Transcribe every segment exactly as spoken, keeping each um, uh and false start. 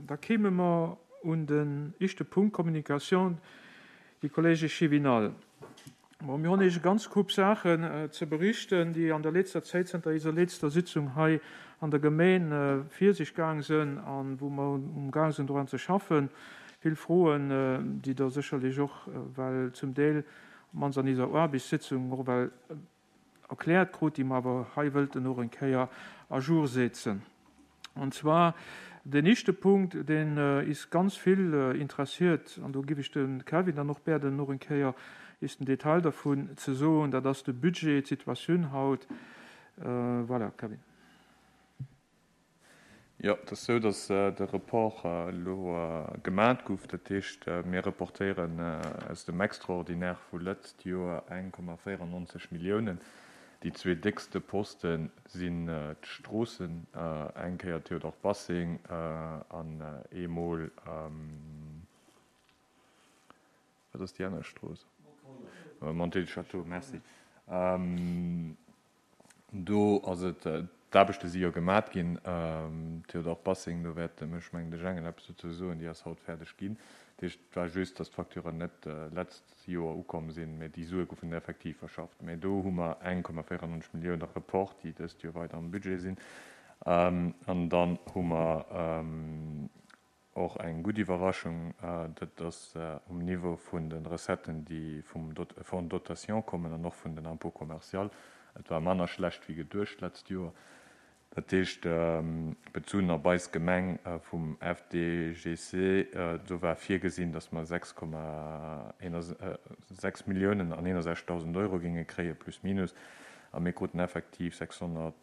Da kéime mer un den éischte Punkt, Communication, déi Kollege Chivinal. Bon, mir hunn eech e ganz Koup Saachen ze berichten, déi an der letzter Zäit, zënter eiser letzter Sitzung hei an der Gemeen vir sech gaang sinn an wou mer umgaang sinn dran ze schaffen. Vill Froen, déi Der sécherlech och well zum Deel op mannst an eiser Aarbechtssitzung och well erkläert krut, déi mer awer hei wëllten och eng Kéier à jour setzen. An zwar den éischte Punkt, deen is ganz vill interessiert, an do giff ech de Kevin dann och bäerden och eng Kéier is den Detail dervun ze soen, dat ass de Budget, d'Situatioun haut. Voilà, Kevin. Jo, et ass esou, datt de Report elo gemat gouf. Dat heescht, mir reportéieren aus dem Extraordinaire vu lëtzt Joer eng Komma véierannonzeg Milliounen. Déi zwee déckste Poste sinn d'Stroossen, eng Kéier Théodore Bassing an eemol, wat ass déi aner Strooss? Montée du Château, merci. Do ass et, d'Aarbechte si jo gemat ginn, Théodore Bassing, do wäert de mech, mengen de Jengel eppes dozou soen, déi ass haut fäerdeg ginn. Dat heescht, et war just, datt d'Facturen net d'letzt Joer ukomm sinn, mä déi Sue goufen effektiv verschafft. Mä do hu mer eng Komma véierannonzeg Millioune Report, déi dëst Joer weider am Budget sinn. An dann hu mer och eng gutt Iwwerraschung, dat ass um Niveau vun de Recetten, déi vum Fonds de dotation kommen an och vun den Impôts commerciaux. Et war manner schlecht wéi geduecht d'letzt Joer. Dat heescht, bezunn op eis Gemeng vum F D G C, do war virgesinn, datt mer sechs Komma sechs Milliounen an eenundsechzegdausend Euro géinge kréien, plus minus, a mir kruten effektiv sechshonnert,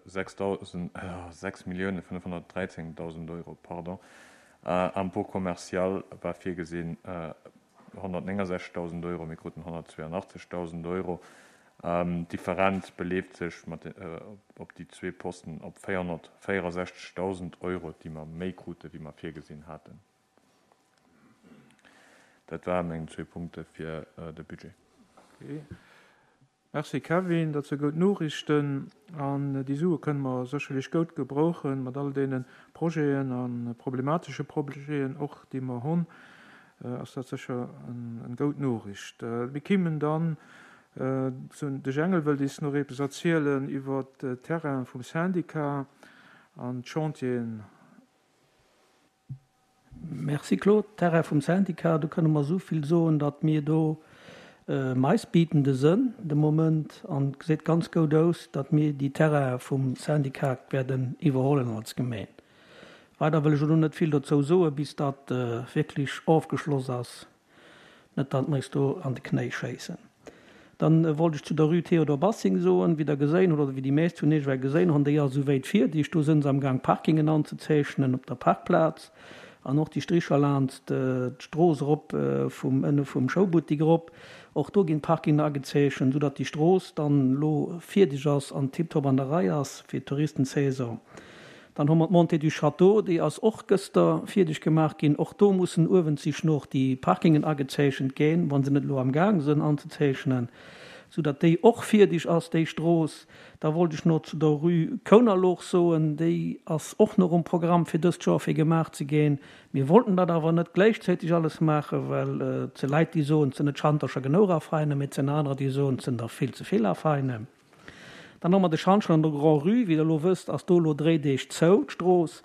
sechs Milliounen fënnefhonnertdräizéngdausend Euro, pardon. Impôt commercial war virgesinn honnertnéngasechzegdausend Euro, mir kruten honnertzweeanachtzegdausend Euro. D'Differenz beleeft sech mat op déi zwee Posten op véierhonnertvéierasechzegdausend Euro, déi mer méi krute wéi mer virgesinn haten. Dat ware meng zwee Punkte fir de Budget. Okay. Merci Kevin, dat si goud Noriichten an déi Sue kënne mer sécherlech goud gebrauchen mat all deene Projeten a problematesche Projeten och, déi mer hunn, ass dat sécher eng goud Noriicht. Mir kimmen dann zu de Jengel wëllt is nach eppes erzielen iwwer Terrain vum Syndicat an d'Chantieren. Merci Claude. Terrain vum Syndicat, do kënne mer esou vill soen, datt mir do meisbietende sënn de Moment an et gesäit ganz goud aus, datt mir déi Terraine vum Syndicat werden iwwerhollen als Gemeen. Weider wëll ech elo net vill dozou soen, bis dat wierklech ofgeschloss ass, net datt mer eis do an de Knéi schéissen. Dann wollt ech zu der Rue Théodore Bassing soen, wéi Der geséin hutt, oder wéi déi meescht vun Iech ewell geséin hunn, déi ass esouwäit fierdeg. Do sënn se am Gaang Parkingen anzezeechnen op der Parkplaz an och déi Stricher laanst d'Strooss erop vum ënne vum Schoubuttik erop. Och do ginn d'Parkingen agezeechent, soudatt déi Strooss dann elo fierdeg ass an tiptop an der Rei ass fir d'Touristensaison. Dann hu mer d'Montée du Château, déi ass och gëster fierdeg gemaach ginn. Och do mussen uewenzich noch déi Parkingen agezeechent ginn, wa se net elo am Gaang sënn anzezeechnen, soudatt déi och fierdeg ass, déi Strooss. Da wollt ech nach zu der Rue Kounerloch soen, déi ass och nach um Programm fir dëst Joer fir gemaach ze ginn. Mir wollten dat awer net gläichzäiteg alles maachen, well et si Leit, déi soen, et sinn net Schantercher genou Affäinen, mee et sinn anerer, déi soen, et sinn der vill ze vill Affäinen. Dann hu mer de Schantjen an der Grand-Rue. Wéi Der elo wësst, ass do elo dréi Deeg zou, d'Strooss.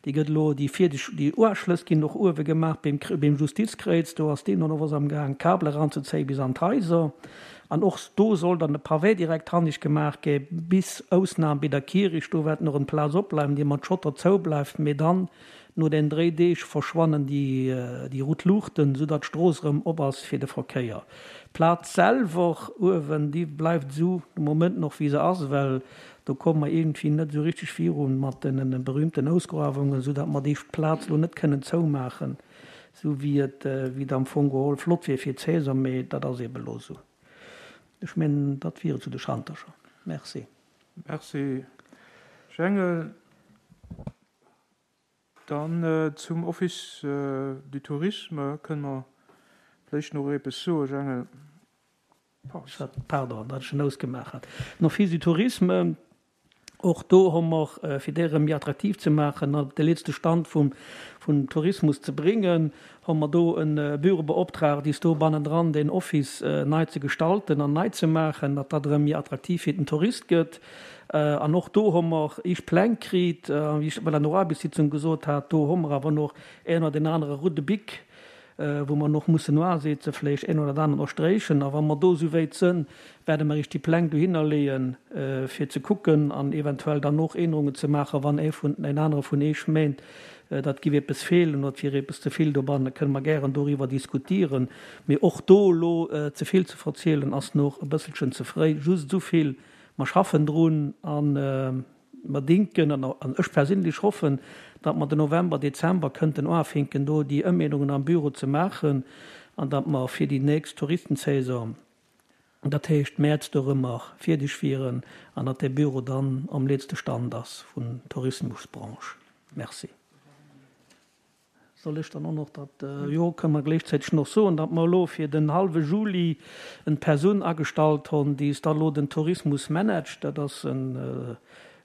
Déi gëtt elo, déi virdeg, déi Uaschlëss ginn och uewe gemaach beim, beim Justizkréiz. Do ass deemno och was am Gaang, Kabel eranzezéien bis an d'Haiser. An och do soll dann de Pavé direkt hannig gemaach gi bis Ausnam bei der Kirich. Do wäert nach en Plaz opbleiwen, déi mat Schotter zoubleift. Mee dann no den dréi Deeg verschwannen déi, déi rout Luuchten, soudatt d'Strooss erëm op ass fir de Verkéier. D'Plaz selwer uewen, déi bleift esou de Moment nach wéi se ass, well do komme mer iergendwéi net esou richteg virun mat den berühmten Ausgruewungen, soudatt mer déi Plaz elo net kënnen zoumaachen, esou wéi et, wéi et am Fong geholl flott wier fir d'Saison, mee dat ass eebe elo esou. Ech mengen, dat wier et zu de Schantercher. Merci. Merci, Jengel. Dann zum Office du Tourisme kënne mer vläicht nach eppes soen, Jengel. Pardon, datt ech en ausgemaach hat. Den Office du Tourisme, Och do hu mer, fir déi erëm méi attraktiv ze maachen an op de letzte Stand vum, vum Tourismus ze bréngen, hu mer do e Büro beoptraagt, is do bannendran den Office nei ze gestalten an nei ze maachen, datt dat erëm méi attraktiv fir den Tourist gëtt. An och do hu mer éischt Pläng kritt, wéi ech bei der Noaarbechtssitzung gesot hat, do hu mer awer nach een oder deen anere roude Bic, wou mer nach mussen noasetzen, vläicht een oder aneren och strächen. A wa mer do esouwäit sënn, wäerte mer iech déi Pläng dohinner leeën, fir ze kucken an eventuell dann och Ännerungen ze maachen, wann ee vun, een anere vun iech meent, dat giff eppes feelen oder et wier eppes ze vill dobannen, kënne mer gären doriwwer diskutieren. Mee och do elo ze vill ze verzielen, ass nach e bësselchen ze fréi. Just esou vill, Mer schaffen drun an mer dinken, an ech perséinlech hoffen, datt mer den November, Dezember kënnten uafinken do déi Ëmännerungen am Büro ze maachen an datt mer fir déi nächst Touristensaison, dat heescht Mäerz dorëmmer, fierdeg wieren an datt dee Büro dann am letzte Stand ass vun Tourismusbranche. Merci. Soll ech dann och nach dat, jo, kënne mer gléichzäiteg nach soen, datt mer elo fir den hallwe Juli en Persoun agestallt hunn, déi da elo den Tourismus managt. Dat ass e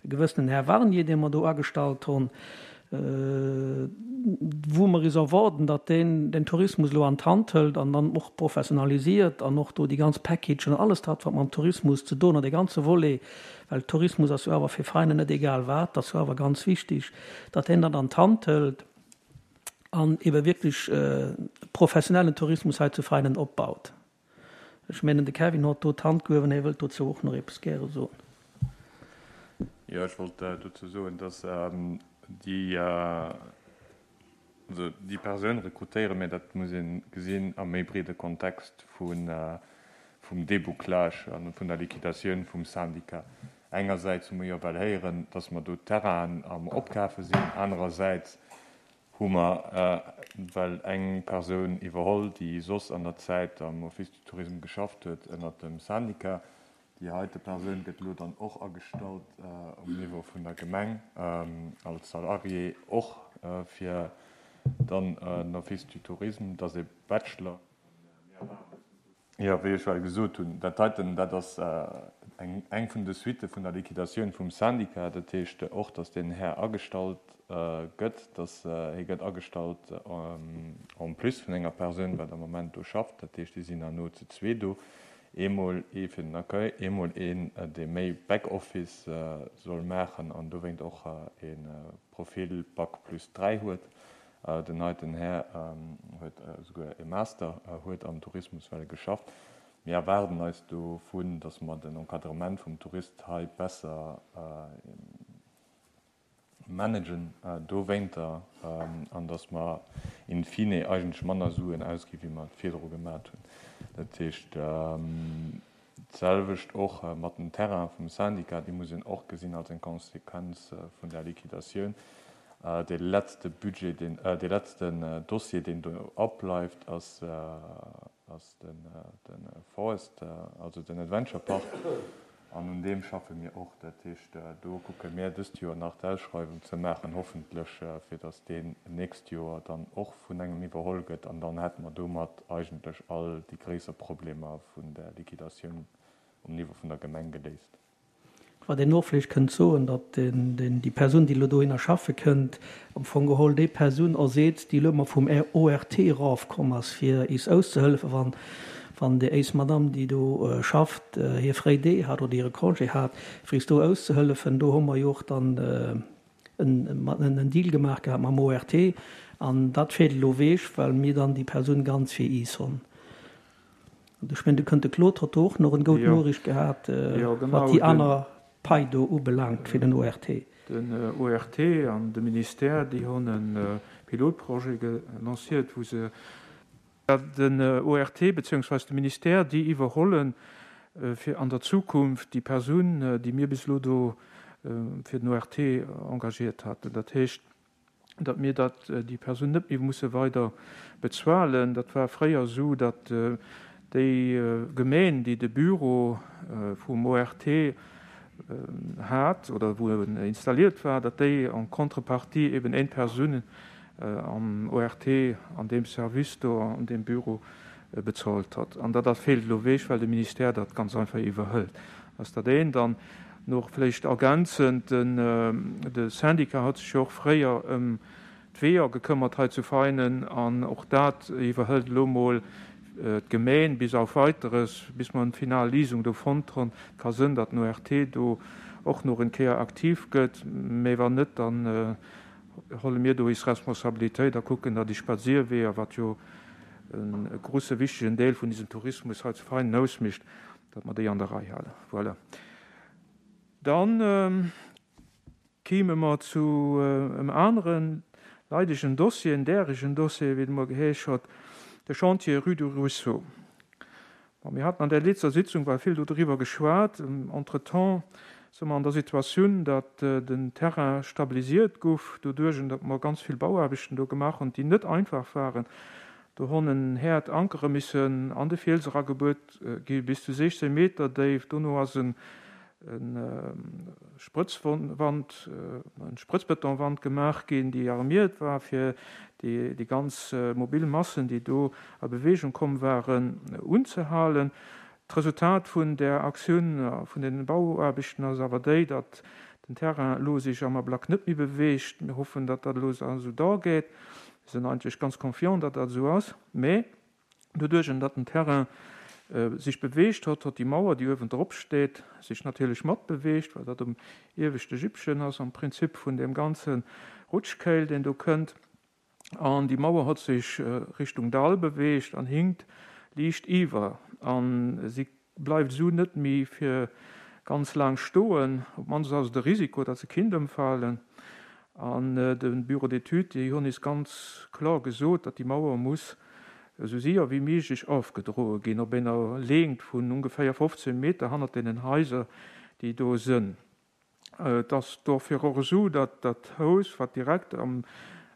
gewëssenen Här Warnier, dee mer do agestallt hunn, wou mer is erwaarden, datt deen den Tourismus elo an d'Hand hëlt an dann och professionalisiert an och do déi ganz Packagen an alles dat, wat mam Tourismus ze doen huet, dee ganze Volet, well Tourismus ass jo awer fir Veräiner net egal wat, dat ass jo awer ganz wichtig, datt deen dat an d'Hand hëlt an ebe wierklech professionellen Tourismus hei zu Veinen opbaut. Ech mengen, de Kevin huet do d'Hand gehuewen, hie wëllt dozou och nach eppes gäre soen. Jo, ech wollt dozou soen, dass déi, also déi Persoun rekrutéiere mir, dat muss ee gesinn am méi breede Kontext vun, vum Débouclage a vun der Liquidatioun vum Syndicat. Engersäits hu mer jo well héieren, dass mer do Terrainen am Opkafe sinn, anerersäits hu mer well eng Persoun iwwerholl, déi soss an der Zäit am Office du Tourisme geschafft huet ënnert dem Syndicat. Déi heite Persoun gëtt elo dann och agestallt um Niveau vun der Gemeng als Salarié, och fir dann den Office du Tourisme. Dat ass e Bachelor. Jo, wéi ech well gesot hunn, dat heiten, dat ass eng eng vun de Suitte vun der Liquidatioun vum Syndicat. Dat heescht och, datt deen Här agestallt gëtt, datt hie gëtt agestallt en plus vun enger Persoun, wat am Moment do schafft. Dat heescht, déi sinn herno zu zwee do, eemol ee fir den Accueil, eemol een, dee méi Back-Office soll maachen an dowéint och e Profil Bac plus dräi huet. Den heiten Här huet esouguer e Master, huet am Tourismus well geschafft. Mir erwaarden eis dovun, datt mer den Encadrement vum Tourist hei besser managen dowéinter an datt mer in fine eigentlech manner Suen ausgi wéi mer et virdru gemat hunn. Dat heescht, d'selwecht och mat den Terrainen vum Syndicat, déi muss een och gesinn als eng Konsequenz vun där Liquidatioun. Dee letzte Budget, deen, dee letzten Dossier, deen do opbleift, ass, ass den, de Forest, also den Adventure Park. An un deem schaffe mir och. Dat heescht, do kucke mir dëst Joer nach d'Ausschreiwung ze maachen, hoffentlech, fir datt deen nächst Joer dann och vun engem iwwerholl gëtt. An dann hätte mer domat eigentlech all déi gréisser Problemer vun der Liquidatioun um Niveau vun der Gemeng geléist. Wat een och vläicht kënnt soen, datt déi Persoun, déi elo dohinner schaffe kënnt, am Fong geholl déi Persoun erseet, déi elo ëmmer vum O R T erafkomm ass, fir is auszehëllefen, wann, wann déi éis Madame, déi do schafft, hir fréi Dee hat oder hire Congé hat, fir is do auszehëllefen. Do hu mer jo och dann en, en Deal gemaach gehat mam O R T an dat feelt elo ewech, well mir dann déi Persoun ganz fir is hunn. Ech mengen, do kënnt de Claude huet do och nach en goud Noriicht gehat, wat déi aner Pai do ubelaangt fir den O R T. Den O R T an de Ministère, déi hunn e Pilotprojet lanciert, wou se den O R T beziehungsweise de Ministère, déi iwwerhollen fir an der Zukunft déi Persoun, déi mir bis elo do fir den O R T engagiert haten. Dat heescht, datt mir dat déi Persoun net méi musse weider bezuelen. Dat war fréier esou, datt déi Gemeng, déi de Büro vum O R T hat oder wou en installiert war, datt déi en contrepartie eben eng Persoun am O R T an deem Service do an deem Büro bezuelt hat. An dat dat feelt elo ewech, well de Ministère dat ganz einfach iwwerhëlt. Ass dat eent. Dann Noch vläicht ergänzend, den, de Syndicat hat sech jo och fréier ëm d'Weeër gekëmmert hei zu Veinen an och dat iwwerhëlt elo mol d'Gemeen bis auf Weiteres, bis mer eng final Liesung do fonnt hunn. Et ka sënn, datt den ORT do och nach en Kéier aktiv gëtt, mä wann net, dann holle mir do is Responsabilitéit a kucken, datt déi Spadséierweeër, wat jo e grusse wichtegen Deel vun diesem Tourismus hei zu Veinen ausmécht, datt mer déi an der Rei halen. Voilà. Dann kéime mer zu em aneren leidegen Dossier, en däregen Dossier, wéi et emol geheesch hott, de Chantier rue du Ruisseau. Bon, mir haten an der letzter Sitzung war vill do driwwer geschwat. Entretemps si mer an der Situatioun, datt den Terrain stabilisiert guff, doduerch, datt mer ganz vill Bauaarbechten do gemaach hunn, déi net einfach waren. Do hunn en Häert Ankere missen an de Fiels eragebuert gi bis zu sechzehn Meter déif. Dono ass en Sprëtzwand, en Sprëtzbetonwand gemaach ginn, déi armiert war, fir déi, déi ganz mobil Massen, déi do a Bewegung komm waren, unzehalen. D'Resultat vun der Aktioun vun den Bauaarbechten ass awer déi, datt den Terrain elo sech am Ablack net méi beweegt. Mir hoffen, datt dat elo esou da geet. Mir sinn eigentlech ganz confiant, datt dat esou ass. Mä doduerch, datt den Terrain sech beweegt hott, hott déi Mauer, déi uewen drop steet, sech natierlech mat beweegt, well dat um ieweschte Jippchen ass am Prinzip vun deem ganze Rutschkéil, deen do kënnt. An déi Mauer hott sech Richtung Dall beweegt an hinkt liicht iwwer. An si bleift esou net méi fir ganz laang stoen. Op d'mannst ass et de Risiko, datt se kinnt ëmfalen. An de Bureau d'études, déi hunn is ganz kloer gesot, datt déi Mauer muss esou séier wéi méiglech ofgedroe ginn, op enger Längt vun ongeféier fofzehn Meter hannert deenen Haiser, déi do sënn. Et ass dofir och esou, datt dat Haus, wat direkt am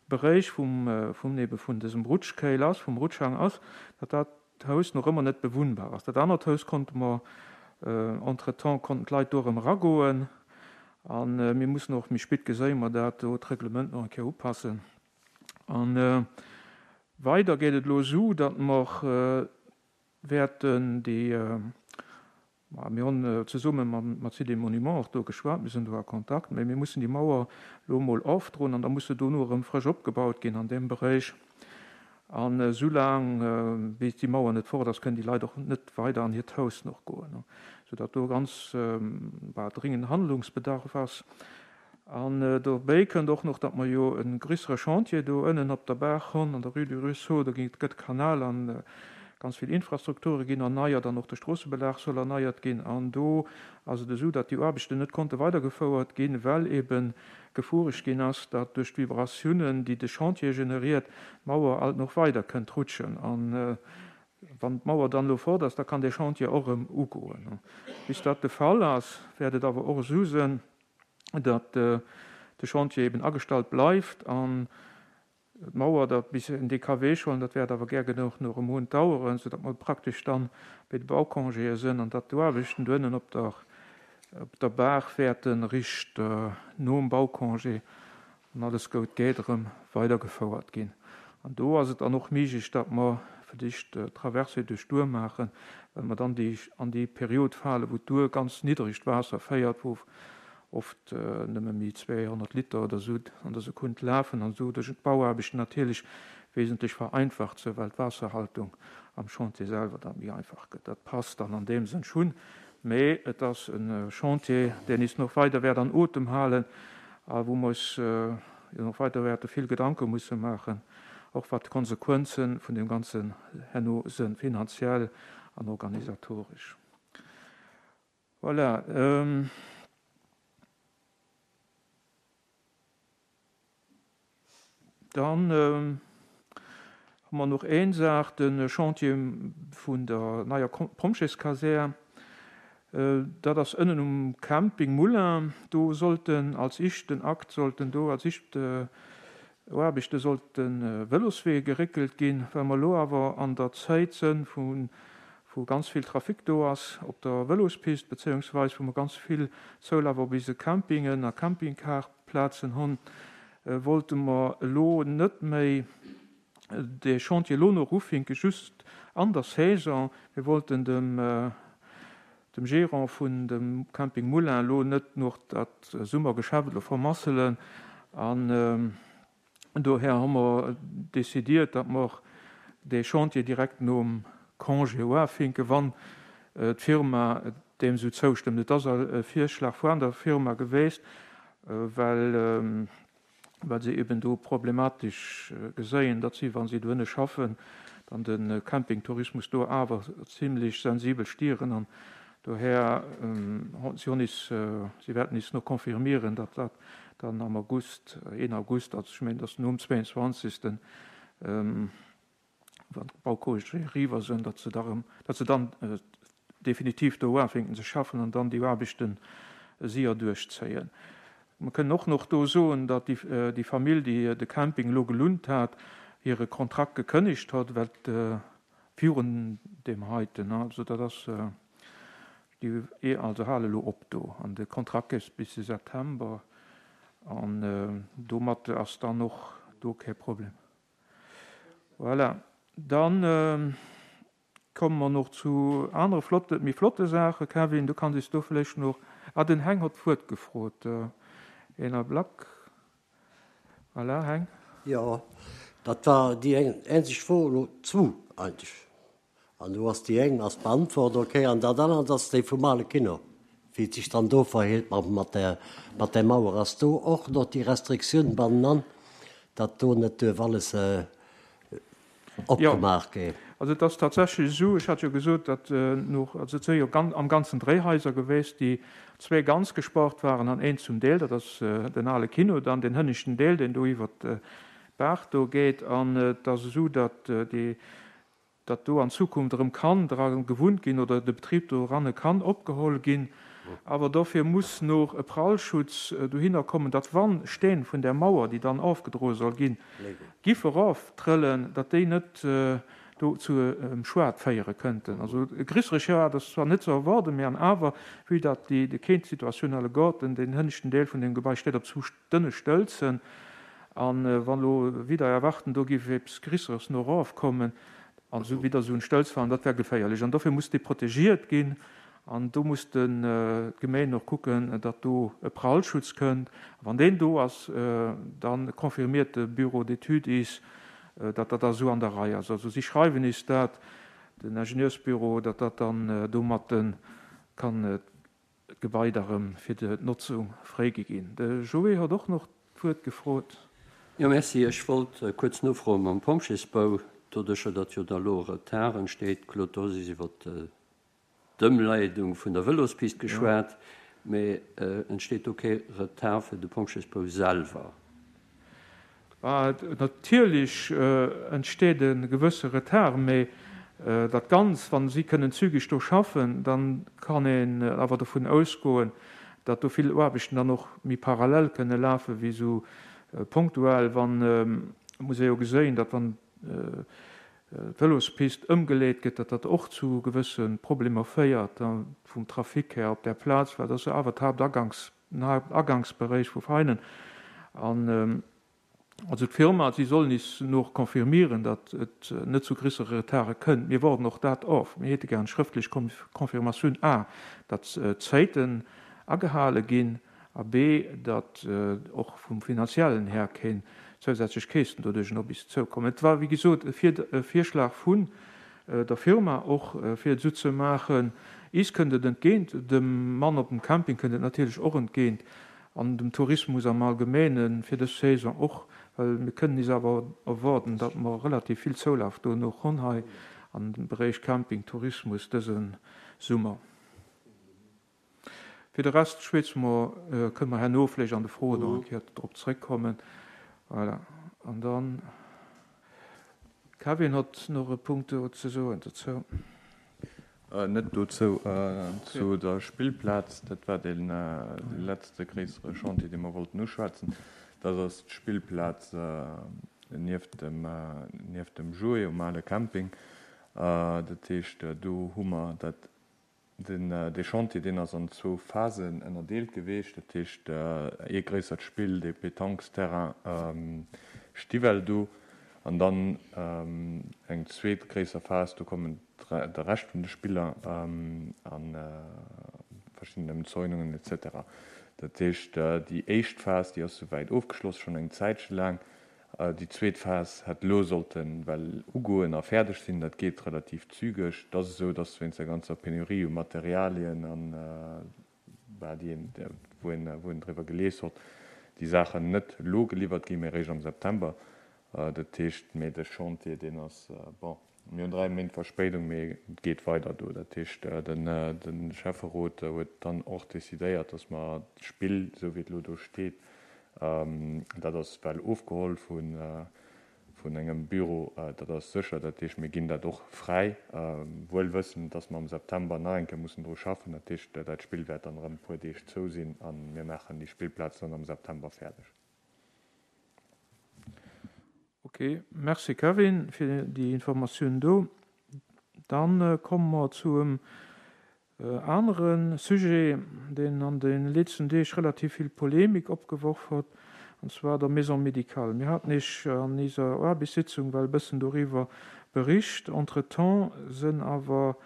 Beréich vum, vum, ebe vun dësem Rutschkéil ass, vum Rutschhang ass, datt dat Haus noch ëmmer net bewunnbar ass. Dat anert Haus konnte mer, entretemps konnten d'Leit do erëm eragoen. An mir mussen och, méi spit geséie mer dat, do d'Reglement nach eng Kéier upassen. An weider geet et elo esou, datt mer wäerten déi, ma mir hunn zesumme mat Sites et Monuments och do geschwat, mir sinn do a Kontakt, mä mir mussen déi Mauer elo emol ofdroen an da muss se dono erëm frësch opgebaut ginn an deem Beréich. An soulaang wéi déi Mauer net fort ass, kënnen déi Leit och net weider an hiert Haus noch goen, soudatt do ganz bah, dringend Handlungsbedarf ass. An dobäi kënnt och noch, datt mer jo e grössere Chantier do ënnen op der Baach hunn, an der Rue du Ruisseau, do gëtt Kanal an ganz vill Infrastrukture ginn erneiert an och de Stroossebelag soll erneiert ginn. An do ass et esou, datt déi Aarbechten net konnte weidergefouert ginn, well eben gefueregt ginn ass, datt duerch d'Vibratiounen, déi de Chantier generiert, d'Mauer alt noch weider kënnt rutschen. An wann d'Mauer dann elo fort ass, da kann de Chantier och erëm ugoen. Bis dat de Fall ass, wäert et awer och esou sinn, datt de Chantier eben agestallt bleift an d'Mauer dat bis en D K W schon, dat wäert awer gär genuch noch e Mount dauern, sodatt mer praktesch dann bei de Baucongéë sinn an datt d'Aarbechten do ënnen op der, op der Baach wäerten richt nom Baucongé an alles gout geet erëm weidergefouert ginn. An do ass et dann och méiglech, datt mer fir d'éischt Traversée duerch d'Our maachen, well mer dann déi, an déi Period fale, wou d'Our ganz niddregt Waasser féiert, wou oft nëmme méi zweihonnert Liter oder so an der Sekunde lafen an so duerch d'Bauaarbechten natierlech wesentlech vereinfacht sinn, well d'Waasserhaltung am Chantier selwer dann méi einfach gëtt. Dat passt dann an deem Sënn schon, mä et ass en Chantier, deen is noch weider wäert an Otem halen, a wou mer uns noch weider wäerte vill Gedanke musse maachen, och wat d'Konsequenzen vun dem Ganzen herno sinn, finanziell an organisatorisch. Voilà. Ähm, dann ähm, hu mer noch eng Saach, den Chantier vun der neier Pompjeeskasär. Äh, dat ass ënnen um Camping Moulin. Do sollten als éischten Akt, sollten do als éischt, äh, Aarbechte sollten, äh, Vëloswee geréckelt ginn, well mer elo awer an der Zäit sinn, vun, wou ganz vill Trafic do ass op der Vëlospist, beziehungsweise wou mer ganz vill Zoulaf op diese Campingen a Campingcarplazen hunn, äh, wollte mer elo net méi de Chantier elo noch ufinke, just an der Saison. Wir wollten dem, äh, dem Gérant vun dem Camping Moulin elo net nach dat Summergeschäft elo vermasselen. An doher hu mer décidiert, datt mer dee Chantier direkt nom Congé uafinken, wann d'Firma deem esou zoustëmmt. Et ass e Virschlag vun der Firma geweest, well well se eben do problematesch geséien, datt si, wa si dohinne schaffen, dann de Campingtourismus do awer zimlech sensibel stieren. An doher, si hunn is, si wäerten is no confirmieren, datt dat dann am August, een August, also ech mengen, dat ass nom zweiundzwanzigsten, wann d'Baucongéë eriwwer sinn, datt se da erëm, datt se dann definitiv do uafänken ze schaffen an dann déi Aarbechte séier duerchzéien. Mer kënnen och nach do soen, datt déi Famill, déi de Camping elo gelunt hat, hire Kontrakt gekënnegt hat, well virun deem heiten, also dat ass, déi also hale elo op do an de Kontrakt géif bis de September an domat ass dann och do kee Problem. Voilà, dann komme mer noch zu anere flotte, méi flotte Saachen. Kevin, du kanns is do vläicht noch, ah, den Heng hott d'Wuert gefrot, een Ablack. Voilà, Heng. Jo, dat war déi eng eenzeg Fro, elo zwou eigentlech. An do ass déi eng ass beantwort, okay, an dat anert ass déi vum ale Kino, wéi et sech dann do verhélt mat där, mat där Mauer. Ass do och nach déi Restriktioun bannenan, datt do net duerf alles opgemaach ginn? Also et ass tatsächlech esou, ech hat jo gesot, datt no, also et si jo am Ganzen dréi Haiser geweest, déi zwee ganz gespart waren an eent zum Deel, dat ass den ale Kino dann, deen hënneschten Deel, deen do iwwert d'Baach do geet. An et ass esou, datt déi, datt do an Zukunft erëm kann dra gewunnt ginn oder de Betrib doranne kann opgeholl ginn. Awer dofir muss noch e Prallschutz dohinner kommen, datt wann Steen vun där Mauer, déi dann ofgedroe soll ginn, giffe eroftrëllen, datt déi net do zu Schued féiere kënnten. Also e grissere Schued ass zwar net ze erwaarden, mä an awer, vue datt déi Kéint-Situatioun alleguerten, deen hënneschten Deel vun deem Gebai steet op zu dënne Stëlzen, a wann elo wieder erwarten, do géif eppes Grisseres no erofkommen an esou wieder esou en Stëlz falen, dat wär geféierlech. An dofir muss dee protegiert ginn an do muss d'Gemeen och kucken, datt do e Prallschutz kënnt. A wann deen do ass, da confirmiert de Bureau d'études is, datt dat da esou an der Rei ass. Also si schreiwen is dat, den Ingenieursbüro, datt dat dann domatten kann d'Gebai da rëm fir d'Notzung fréigi ginn. De Joé huet och nach d'Wuert gefrot. Jo, merci. Ech wollt kuerz nofroen mam Pompjeesbau, doduercher datt jo da elo Retard entsteet. Claude, du hues iwwer d'Ëmleidung vun der Vëlospist geschwat, mee entsteet do kee Retard fir de Pompjeesbau selwer? Natierlech entsteet e gewësse Retard, mee dat Ganz, wa si kënnen zügeg do schaffen, da kann een awer dovun ausgoen, datt do vill Aarbechten dann och méi parallel kënne lafe wéi esou ponktuell. Wann, et muss ee jo geséien, datt wann d'Vëlospist ëmgeleet gëtt, datt dat och zu gewësse Problemer féiert vum Trafic här op där Plaz, well dat ass jo awer d'Haaptagangs, den Haaptagangsberéich vu Veinen. An also d'Firma, si sollen is no confirmieren, datt et net zu grissere Retarde kënnt. Mir warden och dat of. Mir hätte gär eng schrëftlech Confirmatioun, a datt d'Zäiten agehale ginn a b, datt och vum finanziellen här keen zousätzlech Käschten doduerch op is zoukommen. Et war, wéi gesot, e Virschlag vun der Firma och, fir et esou ze maachen. Is kënnt et entgéint, dem Mann op dem Camping kënnt et natierlech och entgéint an dem Tourismus am Allgemeene fir dës Saison och, well mir kënnen is awer erwaarden, datt mer relativ vill Zoulaf do nach hunn hei an dem Beréich Camping, Tourismus dëse Summer. Fir de Rest schwätze mer, kënne mer herno vläicht an de Froen nach eng Kéier drop zrëckkommen. Voilà. An dann, Kevin huet nach e Punkt do ze soen dozou. Net dozou, zu der Spillplaz. Dat war dee letzte gréissere Chantier, dee mer wollten uschwätzen. Dat ass d'Spillplaz nieft dem, nieft dem Jouet um ale Camping. Dat heescht, do hu mer dat Den, dee Chantier, deen ass an zwou Phasen ënnerdeelt geweecht. Dat heescht, ee gréissert Spill, dee Pétanquesterrain Stiwell do, An dann eng zweet gréisser Phas, do kommen de Rescht vun de Spiller a verschidden Ëmzäunungen et cetera. Dat heescht, déi éischt Phas, déi ass souwäit ofgeschloss, schonn eng Zäitche laang. Déi zweet Phas hätt elo sollte well ugoen a fäerdeg sinn. Dat geet relativ zügeg. Et ass esou, dass wéinst der ganzer Penurie u Materialien an, bah, déi een, wou een, wou een driwwer gelies hott, déi Saachen net elo geliwwert ginn, mee eréischt am September. Dat heescht, mee de Chantier, deen ass, bon, mir hunn dräi Méint Verspéidung, mee et geet weider do. Dat heescht, de Schäfferot huet dann och decidéiert, dass mer d'Spill, esou wéi et elo do steet, Dat ass well ofgeholl vun engem Büro, dat ass sécher. Dat heescht, mir ginn dat och fräi, wuel wëssend, dass mer am September nach eng Kéier mussen dru schaffen. Dat heescht, dat Spill wäert dann erëm e puer Deeg zou sinn a mir maachen déi Spillplaz dann am September fäerdeg. Ok, merci Kevin fir déi Informatioun do. Dann komme mer zum Anere Sujet, deen an de letzten Deeg relativ vill Polemik opgeworf hott, an zwar der Maison médicale. Mir haten Iech an iser Aarbechtssitzung well e bëssen doriwwer bericht. Entretemps sënn awer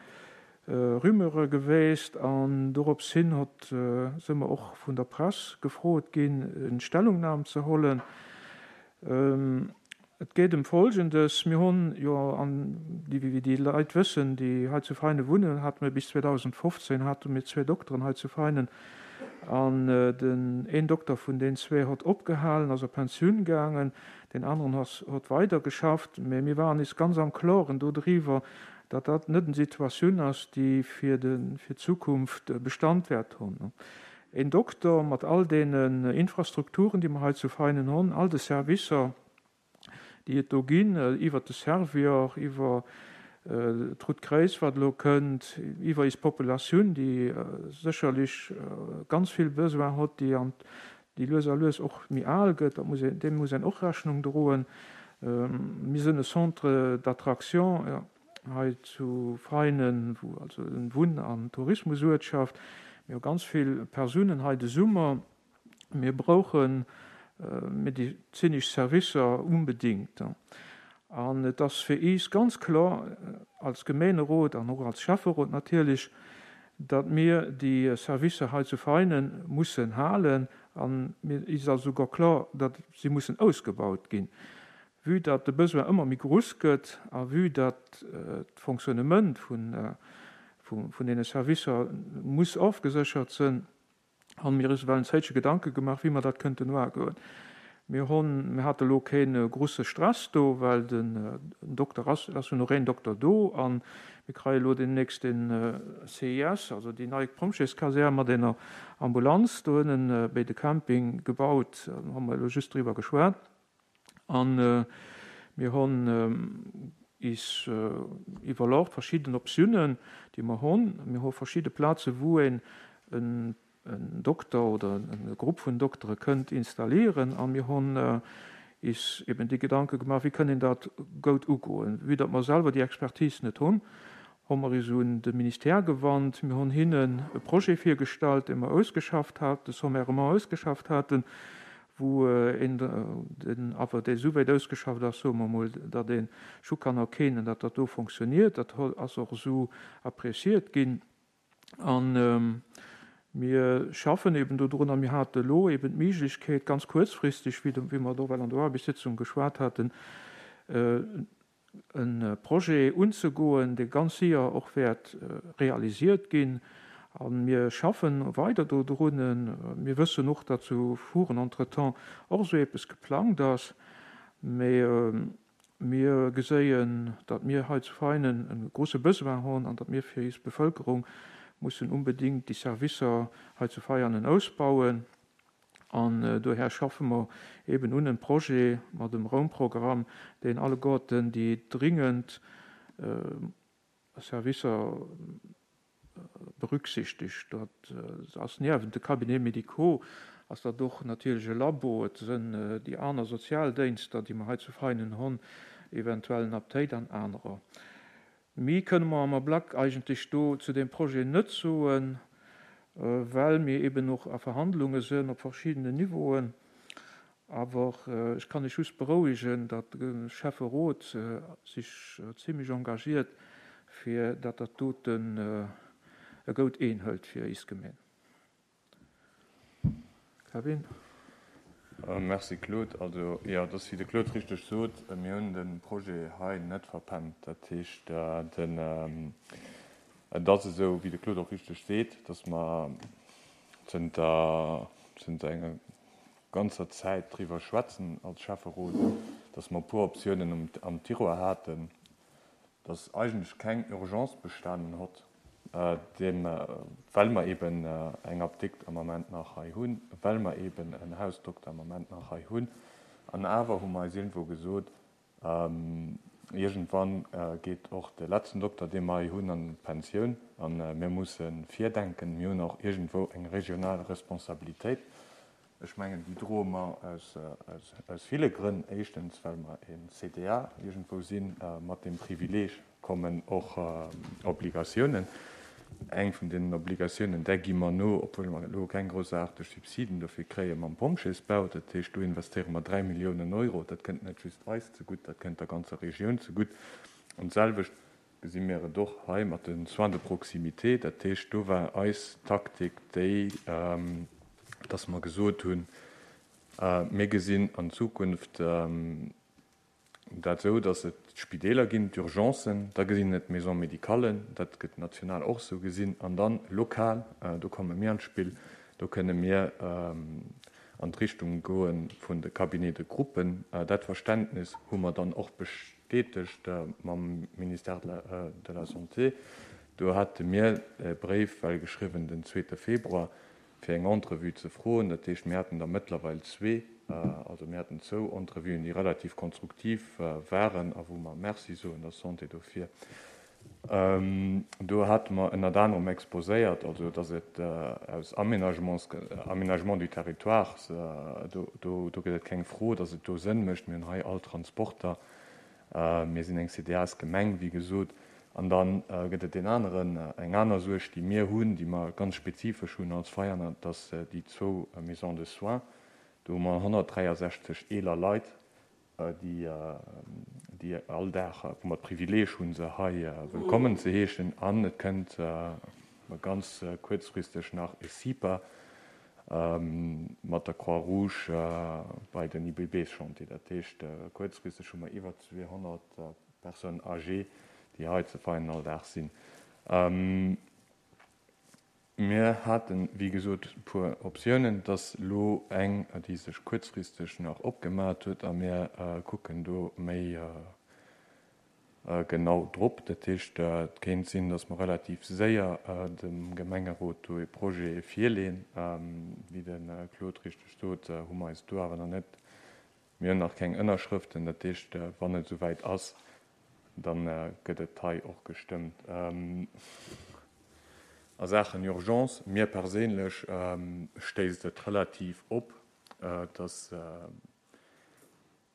Rumeure gewäst an dorops hin hott, së mer och vun der Press gefrot ginn, en Stellungnam ze hollen. Et geet ëm Folgendes, Mir hunn jo, an déi, wéi déi Leit wëssen, déi hei zu Veinen wunnen, hate mir bis zweedausendfofzéng hate mir zwee Dokteren hei zu Veinen, an den een Dokter vun den zwee hott opgehalen, ass a Pensioun gaangen, deen aneren ass, hott weidergeschafft. Mä mir waren is ganz am Kloren dodriwwer, datt dat net en Situatioun ass, déi fir de, fir d'Zukunft Bestand wäert hunn. Een Dokter mat all deenen Infrastrukturen, déi mer hei zu Veinen hunn, all de Servicer, déi et do ginn, iwwert de Servior, iwwer d'Rout Kréiz, wat elo kënnt, iwwer eis Populatioun, déi sécherlech ganz vill Besoin hott, déi an déi lues a lues och méi al gëtt, dat muss een, deem muss een och Rechnung droen. Mir sinn e Centre d'attraction hei zu Veinen, wou also en Wunn an Tourismusuertschaft. Mir hu ganz vill Persounen hei de Summer. Mir brauche medezinesch Servicer unbedingt. An et ass fir iis ganz kloer als Gemeenerot an och als Schäfferot natierlech, datt mir déi Servicer hei zu Veinen mussen halen. An mir is ass esouguer kloer, datt si mussen ausgebaut ginn. Vue datt de Besoin ëmmer méi grouss gëtt a vue datt d'Fonctionnement vun deene Servicer muss ofgeséchert sinn, Hunn mir is well en Zéitche Gedanke gemaach, wéi mer dat kënnten uagoen. Mir hunn, mir hate lo keen grusse Stress do, well den Dokter ass, et ass jo nach een Dokter do an mir kreie lo deemnächst den C I S, also déi nei Pompjeeskasär mat ener Ambulanz do ënnen béi de Camping gebaut, do hu mer elo just driwwer geschwat. An mir hunn is iwwerlort verschidden Optiounen, déi mer hunn. Mir hu verschidde Plaze wou een en Dokter oder e Grupp vun Doktere kënnt installieren. A mir hunn is eben déi Gedanke gemaach, wéi kënn een dat goud ugoen. Vue datt mer selwer déi Expertise net hunn, hu mer is un de Ministère gewannt. Mir hunn hinnen e Projet virgestallt, dee mer ausgeschafft haten, sommairement ausgeschafft haten, wou een den awer dee souwäit ausgeschafft ass, soe mer emol, datt ee scho kann erkennen, datt dat do fonctionniert. Dat ass och esou appréciiert ginn. A mir schaffen eben dodrun a mir hate elo eben d'Méiglechkeet, ganz kuerzfristeg, wéi mer do well an der Aarbechtssitzung geschwat haten, e Projet unzegoen, dee ganz séier och wäert realisiert ginn. A mir schaffen weider dodrun. Mir wëssen och, datt zu Furen entretemps och esou eppes geplangt ass. Mee mir geséien, datt mir hei zu Veinen e grouse Besoin hunn an datt mir fir eis Bevölkerung mussen unbedingt déi Servicer hei zu Veianen ausbauen. An dohär schaffe mer eben un en Projet mat dem Raumprogramm, deen alleguerten déi dringend Servicer berücksichtegt. Dat ass niewent de Cabinets médicaux ass dat och natierlech e Labo, et sënn déi aner Sozialdéinster, déi mer hei zu Veinen hunn, eventuell en Aptéit an anerer. Méi kënne mer am Ablack eigentlech do zu deem Projet net soen, well mir eben och a Verhandlunge sënn op verschiddenen Niveauen. Awer ech kann Iech just berouegen, datt de Schäfferot sech zimlech engagiert, fir datt dat doten e goud Een hëlt fir is Gemeen. Kevin. Merci Claude. Also jo, et ass wéi de Claude richteg sot, mir hunn de Projet hei net verpennt. Dat heescht, den, et ass esou, wéi de Claude och richteg seet, datt mer zënter, zënter enger ganzer Zäit driwwer schwätzen als Schäfferot, datt mer e puer Optiounen am Tiroir haten, datt eigentlech keng Urgence bestanen hott, deem, well mer eben eng Apdikt am Ament nach hei hunn, well mer eben en Hausdokter am Ament nach hei hunn. An awer hu mer eis iergendwou gesot, iergendwann geet och de letzten Dokter, dee mer hei hunn, an d'Pensioun a mir musse virdenken. Mir hunn och iergendwou eng regional Responsabilitéit. Ech mengen, déi droe mer aus ville Grënn. Éischtens, well mer e C D A iergendwou sinn. Mat deem Privileeg kommen och Obligatiounen. Eng vun deenen Obligatiounen, där gi mer no, obwuel mer elo keng groussaarteg Subsiden dofir kréie mam Pompjeesbau. Dat heescht, do investéiere mer dräi Milliounen Euro. Dat kënnt net just eis zegutt, dat kënnt der ganzer Regioun zegutt. An d'selwecht gesi mir et och hei mat de Soins de proximité. Dat heescht, do war eis Taktik déi, dass mer gesot hunn, mir gesinn an Zukunft dat esou, dass et d'Spideeler ginn, d'Urgencen, da gesinn et d'Maisons médicales, dat gëtt national och esou gesinn, an dann lokal, do komme mir an d'Spill, do kënne mir an d'Richtung goe vun de Cabinets de groupe. Dat Verständnis hu mer dann och bestätegt mam Ministère de la Santé. Do hate mir e Bréif well geschriwwen den zweete Februar, fir eng Entrevue ze froen. Dat heescht, mir haten der mëttlerweil zwee, also mir haten zwou Entrevuen, déi relativ konstruktiv waren a wou mer Merci soen der Santé dofir. Do hate mer ënnert anerem exposéiert, also datt et aus Aménagements, Aménagement du territoire, do, do, do gëtt et keng Fro, datt et do Sënn mécht. Mir hunn hei all Transporter, mir sinn eng C D As-Gemeng, wéi gesot. An da gëtt et deen aneren, eng aner Suerg, déi mir hunn, déi mer ganz spezifesch hunn als Veianer, dass déi zwou Maisons de soins, do hu mer honnertdräiasechzeg eeler Leit, déi, déi all Dag, wou mer d'Privileeg hunn, se hei wëllkommen ze heeschen. An et kënnt ganz kuerzfristeg nach e CIPA mat der Croix-Rouge bei den I B B-Chantier. Dat heescht, kuerzfristeg hu mer iwwer zweehonnert Personnes âgées, déi hei ze Veianen all Dag sinn. Mir haten, wéi gesot, e puer Optiounen. Et ass elo eng, déi sech kuerzfristeg nach opgemaach huet, a mir kucken do méi genau drop. Dat heescht, et kéint sinn, datt mer relativ séier dem Gemengerot do e Projet virleeën. Wéi de Claude richteg sot, hu mer eis do awer nach net, mir hunn nach keng Ënnerschrëften. Dat heescht, wann et esouwäit ass, da gëtt et hei och gestëmmt. A Saachen Urgence, mir perséinlech stéisst et relativ op, datt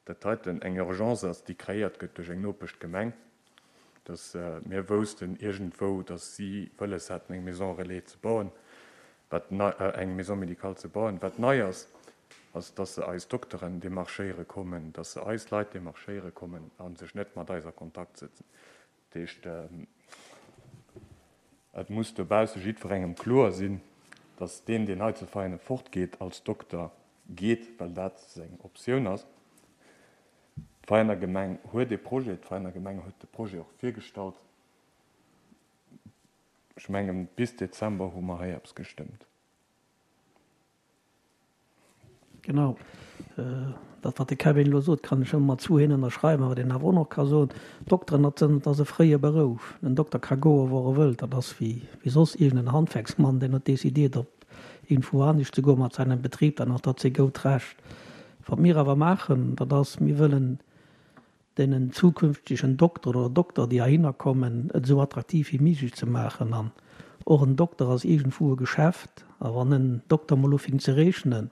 dat heiten eng Urgence ass, déi kreéiert gëtt duerch eng Nopeschgemeng, datt mir woussten iergendwou, datt si wëlles haten, eng Maison relais ze bauen, wat nei, eng Maison médicale ze bauen. Wat nei ass, ass, datt se eis Dokteren demarchéiere kommen, datt se eis Leit demarchéiere kommen a sech net mat eis a Kontakt sëtzen. Dat heescht, et muss dobausse jiddwerengem kloer sinn, datt deen, deen hei zu Veianen fortgeet, als Dokter geet, well dat seng Optioun ass. D'Veianer Gemeng huet e Projet, d'Veianer Gemeng huet de Projet och virgestallt. Ech mengen, bis Dezember hu mer hei eppes gestëmmt. Genau. Dat, wat de Kevin elo sot, kann ech ëmmer mat zwou Hänn ënnerschreiwen. Wat een awer och nach ka soen, Dokteren, dat sinn, dat ass e fréie Berouf. En Dokter ka goen, wou e wëllt. Dat ass wéi, wéi soss iergend en Handwerksmann, deen huet decidéiert, op iergendwou anescht ze goen mat seinem Betrib, dann ass dat säi goud Recht. Wat mir awer maachen, dat ass, mir wëllen deenen zukünftegen Dokter oder Dokter, déi heihinner kommen, et esou attraktiv wéi méiglech ze maachen. An och en Dokter ass iergendwou e Geschäft. A wann en Dokter mol ufänkt ze rechnen,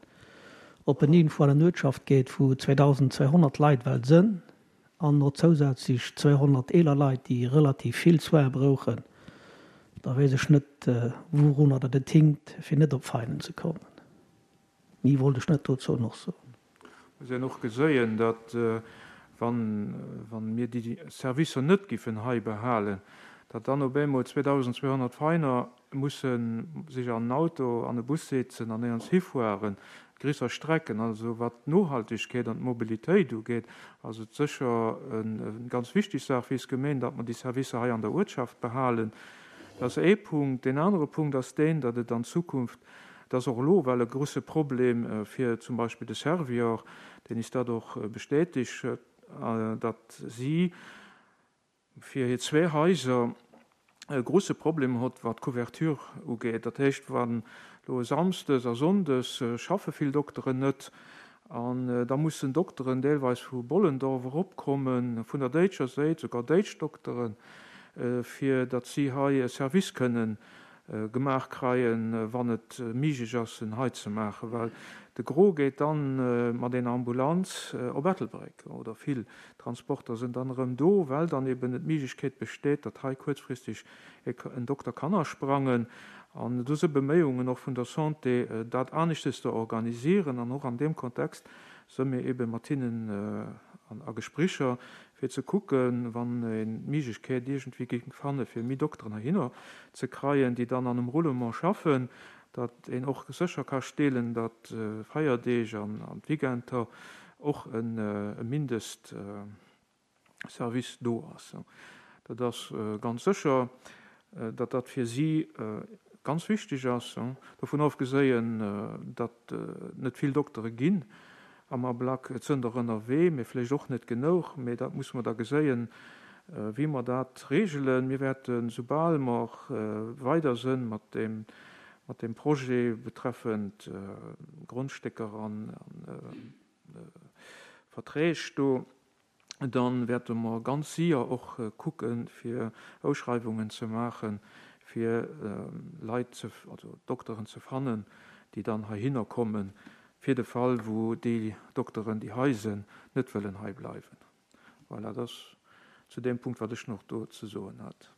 ob en iergendwou an en Uertschaft geet, wou zweedausendzweihonnert Leit well sënn an och zousätzlech zweehonnert eeler Leit, déi relativ vill Soins brauchen, da weess ech net, wourunner dat et hinkt, fir net op Veinen ze kommen. Méi wollt ech net dozou nach soen. Muss een och geséien, datt wann, wann mir déi Servicer net giffen hei behalen, datt dann op eemol zweedausendzweehonnert Veiner musse sech an en Auto, an e Bus setzen an néierens hifueren, gréisser Strecken. Also wat d'Nohaltegkeet an d'Mobilitéit ugeet, ass et sécher eng ganz wichteg Saach fir eis Gemeen, datt mer déi Servicer hei an der Uertschaft behalen. Dat ass ee Punkt. Deen anere Punkt ass deen, datt et an Zukunft, dat ass och elo well e grouse Problem fir zum Beispill de Servior, deen is dat och bestätegt huet, datt si fir hir zwee Haiser e grouse Problem hott, wat d'Couverture ugeet. Dat heescht, wann elo e Samsdes a Sonndes schaffe vill Dokteren net, an da mussen Dokteren deelweis vu Bollendorf eropkommen, vun der déitscher Séit, sougar déitsch Dokteren, fir datt si hei e Service kënnen gemaach kreien, wann et miiglech ass, en hei ze maachen, well de Gros geet dann mat ener Ambulanz op Ettelbréck, oder vill Transporter sinn dann erëm do, well dann eben et d'Miiglechkeet besteet, datt hei kuerzfristeg en Dokter kann asprangen. An do si Beméiungen och vun der Santé, dat aneschtes ze organisieren, an och an deem Kontext si mir eben mat hinnen a Gesprécher, fir ze kucken, wann een d'Miiglechkeet iergendwéi géing fanne fir méi Dokteren heihinner ze kreien, déi dann an em Roulement schaffen, datt een och sécher ka steelen, datt Feierdeeg an d'Weekender och e Mindestservice do ass. Dat ass ganz sécher, datt dat fir si ganz wichteg ass, dovun ofgeséien, datt et net vill Doktere ginn am Ablack. Et sënn der ënnerwee, mee vläicht och net genouch. Mee dat musse mer da geséien, wéi mer dat regelen. Mir wäerten, soubal mer weider sënn mat deem, mat deem Projet betreffend Grondstécker an Verträg do, da wäerte mer ganz sier och kucken, fir Ausschreiwungen ze maachen, fir Leit ze, also Dokteren ze fannen, déi dann heihinner kommen, fir de Fall, wou déi Dokteren, déi hei sinn, net wëllen hei bleiwen. Voilà, dat ass zu deem Punkt, wat ech nach do ze soen hat.